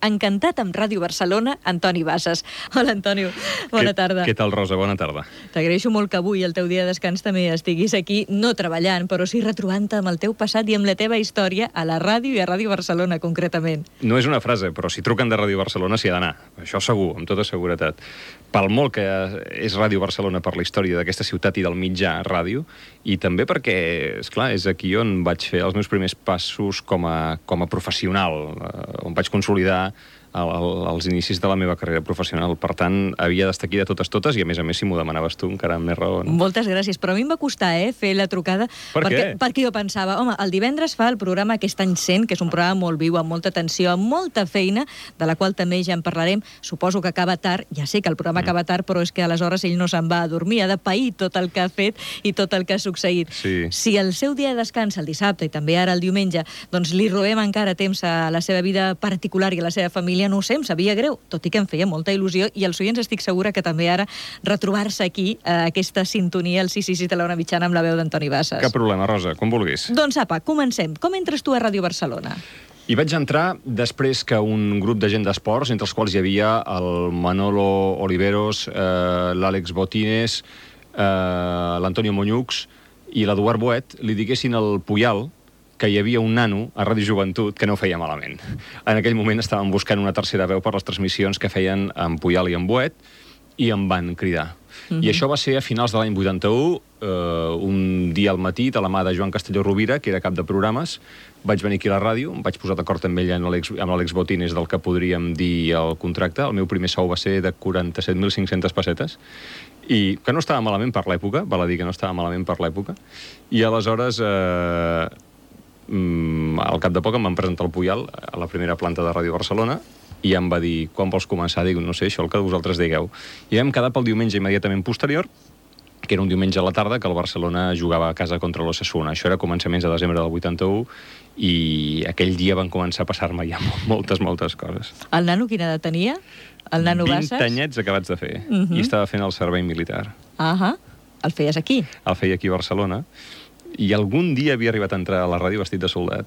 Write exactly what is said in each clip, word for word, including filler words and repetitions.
Encantat amb Ràdio Barcelona, Antoni Bassas. Hola, Antonio. Bona què, tarda. Què tal, Rosa? Bona tarda. T'agraeixo molt que avui, el teu dia de descans, també estiguis aquí, no treballant, però sí retrobant-te amb el teu passat i amb la teva història a la ràdio i a Ràdio Barcelona, concretament. No és una frase, però si truquen de Ràdio Barcelona s'hi ha d'anar. Això segur, amb tota seguretat. Pel molt que és Ràdio Barcelona per la història d'aquesta ciutat i del mitjà ràdio, i també perquè, esclar, és aquí on vaig fer els meus primers passos com a, com a professional, on vaig consolidar als inicis de la meva carrera professional. Per tant, havia d'estar aquí de totes totes i, a més a més, si m'ho demanaves tu, encara amb més raó. No? Moltes gràcies, però a mi em va costar eh, fer la trucada. Per perquè, què? Perquè jo pensava, home, el divendres fa el programa Aquest any cent, que és un programa molt viu, amb molta atenció, amb molta feina, de la qual també ja en parlarem. Suposo que acaba tard, ja sé que el programa mm. acaba tard, però és que aleshores ell no se'n va a dormir, ha de pair tot el que ha fet i tot el que ha succeït. Sí. Si el seu dia de descans, el dissabte i també ara el diumenge, doncs li robem encara temps a la seva vida particular i a la seva família, no ho sé, em sabia greu, tot i que em feia molta il·lusió, i els oients estic segura que també ara retrobar-se aquí, eh, aquesta sintonia, el sis sis sis de l'Ona Mitjana amb la veu d'Antoni Bassas. Cap problema, Rosa, com vulguis. Doncs apa, comencem. Com entres tu a Ràdio Barcelona? Hi vaig entrar després que un grup de gent d'esports, entre els quals hi havia el Manolo Oliveros, eh, l'Àlex Botines, eh, l'Antonio Moñux i l'Eduard Boet, li diguessin al Puyal que hi havia un nano a Ràdio Joventut que no ho feia malament. En aquell moment estàvem buscant una tercera veu per les transmissions que feien en Puyal i en Boet, i em van cridar. Mm-hmm. I això va ser a finals de l'any vuitanta-u, eh, un dia al matí, de la mà de Joan Castelló Rovira, que era cap de programes. Vaig venir aquí a la ràdio, em vaig posar d'acord amb ell, amb l'Àlex Botines, del que podríem dir el contracte. El meu primer sou va ser de quaranta-set mil cinc-centes pessetes, i que no estava malament per l'època, val a dir que no estava malament per l'època. I aleshores... Eh, al cap de poc em van presentar el Puyal a la primera planta de Ràdio Barcelona i em va dir, quan vols començar? Dic, no sé, això el que vosaltres digueu. I vam quedar pel diumenge immediatament posterior, que era un diumenge a la tarda, que el Barcelona jugava a casa contra l'Osasuna. Això era començaments de desembre del vuitanta-u, i aquell dia van començar a passar-me ja moltes, moltes coses. El nano quina edat tenia? El nano Bassas? vint anyets acabats de fer, uh-huh. i estava fent el servei militar. Ahà, uh-huh. El feies aquí? El feia aquí a Barcelona. I algun dia havia arribat a entrar a la ràdio vestit de soldat.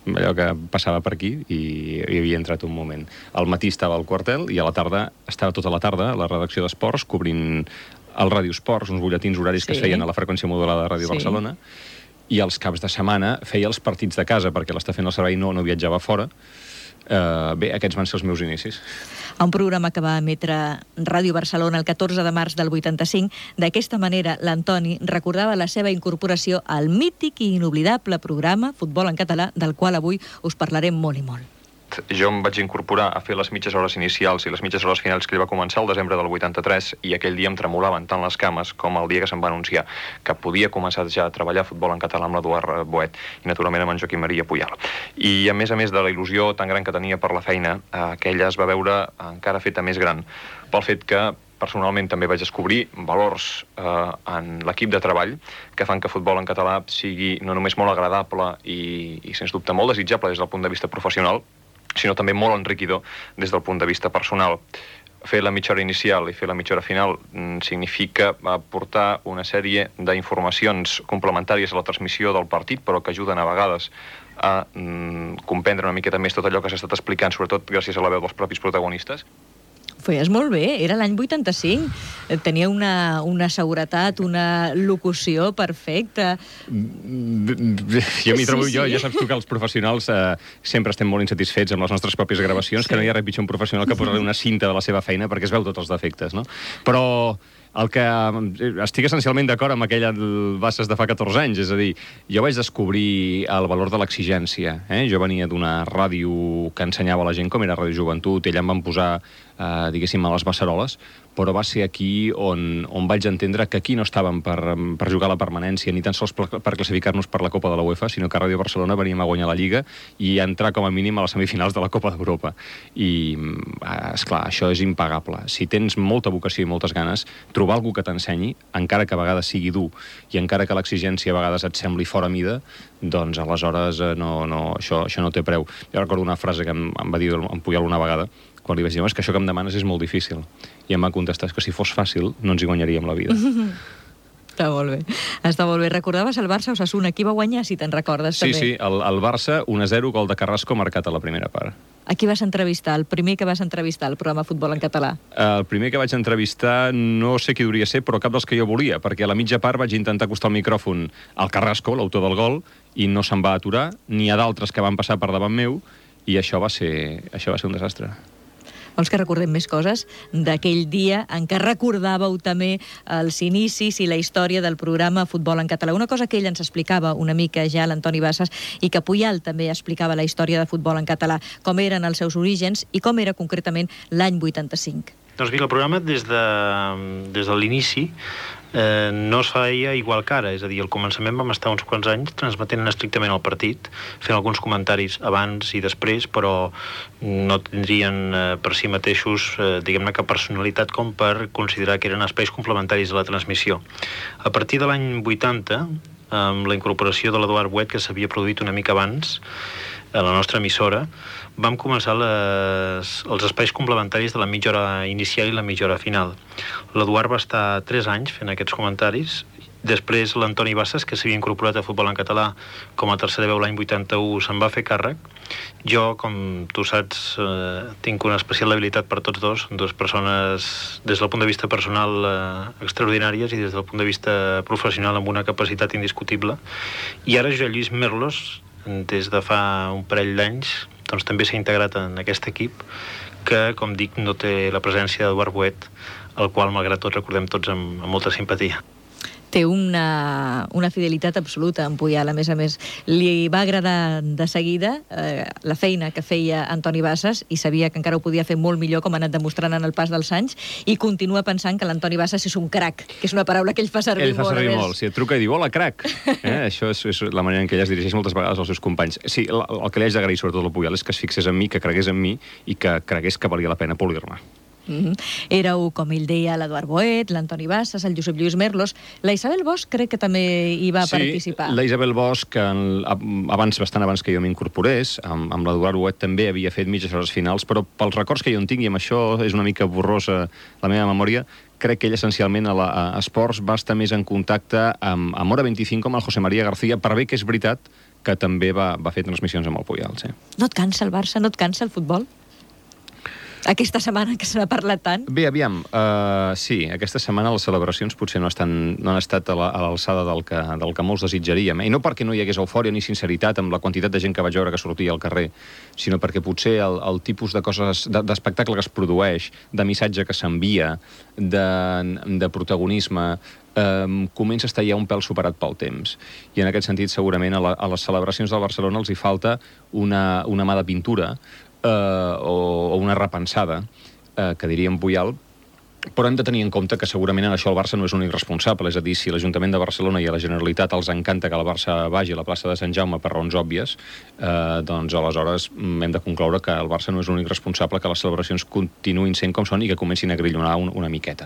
Allò que passava per aquí i hi havia entrat un moment. Al matí estava al quartel i a la tarda, estava tota la tarda a la redacció d'esports cobrint el Ràdio Esports, uns butlletins horaris sí. que es feien a la freqüència modulada de Ràdio sí. Barcelona, i els caps de setmana feia els partits de casa perquè l'està fent el servei, no, no viatjava fora. Uh, bé, aquests van ser els meus inicis. A un programa que va emetre Ràdio Barcelona el catorze de març del vuitanta-cinc. D'aquesta manera, l'Antoni recordava la seva incorporació al mític i inoblidable programa Futbol en Català, del qual avui us parlarem molt i molt. Jo em vaig incorporar a fer les mitges hores inicials i les mitges hores finals que ell va començar el desembre del vuitanta-tres, i aquell dia em tremolaven tant les cames com el dia que se'm va anunciar que podia començar ja a treballar futbol en català amb l'Eduard Boet i naturalment amb en Joaquim Maria Puyal. I a més a més de la il·lusió tan gran que tenia per la feina, aquella es va veure encara feta més gran pel fet que personalment també vaig descobrir valors eh, en l'equip de treball que fan que futbol en català sigui no només molt agradable i, i sens dubte molt desitjable des del punt de vista professional, sinó també molt enriquidor des del punt de vista personal. Fer la mitja hora inicial i fer la mitja hora final significa aportar una sèrie d'informacions complementàries a la transmissió del partit, però que ajuden a vegades a mm, comprendre una miqueta més tot allò que s'ha estat explicant, sobretot gràcies a la veu dels propis protagonistes. Feies molt bé, era l'any vuitanta-cinc. Tenia una, una seguretat, una locució perfecta. Jo m'hi trobo, sí, sí. jo, ja saps tu que els professionals eh, sempre estem molt insatisfets amb les nostres pròpies gravacions, sí. que no hi ha res pitjor un professional que posar-li una cinta de la seva feina perquè es veu tots els defectes, no? Però el que estic essencialment d'acord amb aquella Bassas de fa catorze anys, és a dir, jo vaig descobrir el valor de l'exigència. Eh? Jo venia d'una ràdio que ensenyava a la gent com era Ràdio Joventut, ella em van posar, eh, diguéssim, a les beceroles, però va ser aquí on, on vaig entendre que aquí no estàvem per, per jugar a la permanència, ni tan sols per, per classificar-nos per la Copa de la UEFA, sinó que a Ràdio Barcelona veníem a guanyar la Lliga i a entrar com a mínim a les semifinals de la Copa d'Europa. I, esclar, això és impagable. Si tens molta vocació i moltes ganes, trobar algú que t'ensenyi, encara que a vegades sigui dur i encara que l'exigència a vegades et sembli fora mida, doncs aleshores no, no, això, això no té preu. Jo recordo una frase que em, em va dir en Puyal una vegada, quan li vaig dir, és que això que em demanes és molt difícil. I em va contestar, que si fos fàcil no ens hi guanyaríem la vida. Està molt bé. Està molt bé. Recordaves el Barça Osasuna, qui va guanyar, si te'n recordes, sí, també? Sí, sí, el, el Barça un a zero, gol de Carrasco marcat a la primera part. A qui vas entrevistar? El primer que vas entrevistar al programa Futbol en Català? El primer que vaig entrevistar no sé qui hauria ser, però cap dels que jo volia, perquè a la mitja part vaig intentar acostar el micròfon al Carrasco, l'autor del gol, i no se'n va aturar, ni a d'altres que van passar per davant meu, i això va ser, això va ser un desastre. Vols que recordem més coses d'aquell dia en què recordàveu també els inicis i la història del programa Futbol en Català? Una cosa que ell ens explicava una mica ja, l'Antoni Bassas, i que Puyal també explicava la història de Futbol en Català, com eren els seus orígens i com era concretament l'any vuitanta-cinc. Doncs bé, el programa des de, des de l'inici eh, no es feia igual que ara, és a dir, al començament vam estar uns quants anys transmetent estrictament el partit, fent alguns comentaris abans i després, però no tindrien eh, per si mateixos, eh, diguem-ne, cap personalitat com per considerar que eren espais complementaris de la transmissió. A partir de l'any vuitanta, amb la incorporació de l'Eduard Boet, que s'havia produït una mica abans a la nostra emissora, vam començar les, els espais complementaris de la mitja hora inicial i la mitja hora final. L'Eduard va estar tres anys fent aquests comentaris. Després l'Antoni Bassas, que s'havia incorporat a Futbol en Català com a tercera veu l'any vuitanta-u, se'n va fer càrrec. Jo, com tu saps, eh, tinc una especial habilitat per tots dos, dues persones des del punt de vista personal eh, extraordinàries i des del punt de vista professional amb una capacitat indiscutible. I ara Josep Lluís Merlos, des de fa un parell d'anys, doncs també s'ha integrat en aquest equip que, com dic, no té la presència d'Eduard Boet, el qual, malgrat tot, recordem tots amb, amb molta simpatia. Té una, una fidelitat absoluta en Puyal, a més a més. Li va agradar de seguida eh, la feina que feia Antoni Bassas i sabia que encara ho podia fer molt millor, com ha anat demostrant en el pas dels anys, i continua pensant que l'Antoni Bassas és un crac, que és una paraula que ell fa servir ell fa molt. Ell fa servir més. molt, sí, et truca i diu, hola, crac. Eh? Això és, és la manera en què ella es dirigeix moltes vegades als seus companys. Sí, el, el que li haig d'agrair sobretot al Puyal és que es fixés en mi, que cregués en mi i que cregués que valia la pena polir-me. Mm-hmm. Éreu, com ell deia, l'Eduard Boet, l'Antoni Bassas, el Josep Lluís Merlos. La Isabel Bosch crec que també hi va sí, participar. Sí, la Isabel Bosch, abans, bastant abans que jo m'incorporés, amb, amb l'Eduard Boet també havia fet mitges hores finals, però pels records que jo en tinc, i amb això és una mica borrosa la meva memòria, crec que ell essencialment a, la, a Esports va estar més en contacte amb, amb Hora vint-i-cinc com el José María García, per bé que és veritat que també va, va fer transmissions amb el Puyal. Sí. No et cansa el Barça? No et cansa el futbol? Aquesta setmana que se n'ha parlat tant? Bé, aviam, uh, sí, aquesta setmana les celebracions potser no, estan, no han estat a l'alçada del, que, del que molts desitjaríem. Eh? I no perquè no hi hagués eufòria ni sinceritat amb la quantitat de gent que vaig veure que sortia al carrer, sinó perquè potser el, el tipus de coses, d'espectacle que es produeix, de missatge que s'envia, de, de protagonisme, Um, comença a estar ja un pèl superat pel temps. I en aquest sentit, segurament, a, la, a les celebracions del Barcelona els hi falta una, una mà de pintura uh, o, o una repensada, uh, que diríem Puyal, però hem de tenir en compte que segurament en això el Barça no és l'únic responsable, és a dir, si l'Ajuntament de Barcelona i a la Generalitat els encanta que el Barça vagi a la plaça de Sant Jaume per raons òbvies, eh, doncs aleshores hem de concloure que el Barça no és l'únic responsable, que les celebracions continuïn sent com són i que comencin a grillonar un, una miqueta.